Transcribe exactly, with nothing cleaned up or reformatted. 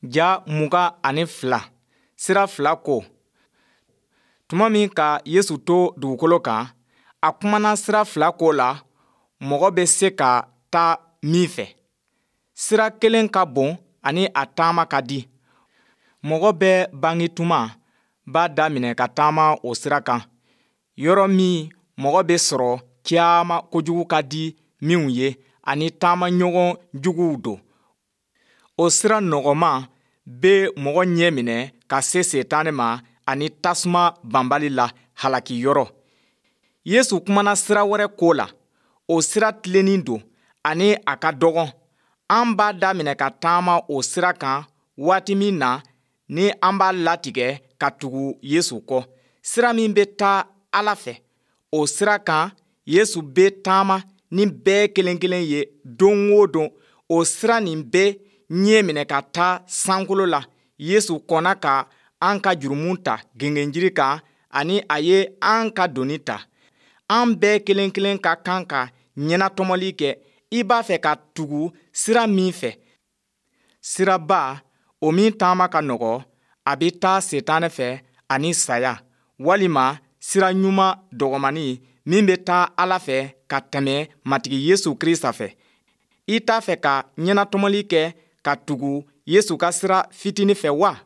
Ja mugan ani fila, sira fila ko. Tuma min ka Yesu to dugukolo kan, a kumana sira fila ko la mɔgɔ bɛ se ka taa min fɛ. Sira kelen ka bon ani a taama ka di. Mɔgɔ bɛɛ bange tuma b'a daminɛ ka taama o sira kan, yɔrɔ min mɔgɔ bɛ sɔrɔ caman kojugu ka di minw ye ani taamaɲɔgɔn juguw don. O sira nɔgɔman bɛ mɔgɔ ɲɛminɛ ka se Setane ma ani tasuma banbali la halaki yɔrɔ. Yesu kumana sira wɛrɛ ko la. O sira tilennen don ani a ka dɔgɔn. An b'a daminɛ ka taama o sira kan waati min na ni an b'a latigɛ ka tugu Yesu kɔ, sira min bɛ taa Ala fɛ, o sira kan Yesu bɛ taama ni bɛɛ kelen kelen ye don o don. O sira nin bɛ ɲɛ minɛ ka taa sankolo la. Yesu kɔnna ka an ka jurumu ta gengenjiri kan ani a ye an ka doni ta. An bɛɛ kelen kelen ka kan ka ɲɛnatɔmɔli kɛ i b'a fɛ ka tugu sira min fɛ. Siraba, o min taama ka nɔgɔ, a bɛ taa Setanɛ fɛ ani saya, walima sira ɲuman dɔgɔmannin min bɛ taa Ala fɛ ka tɛmɛ Matigi Yesu Krista fɛ. I t'a fɛ ka ɲɛnatɔmɔli kɛ ka tugu Yesu ka sira fitinin fɛ wa?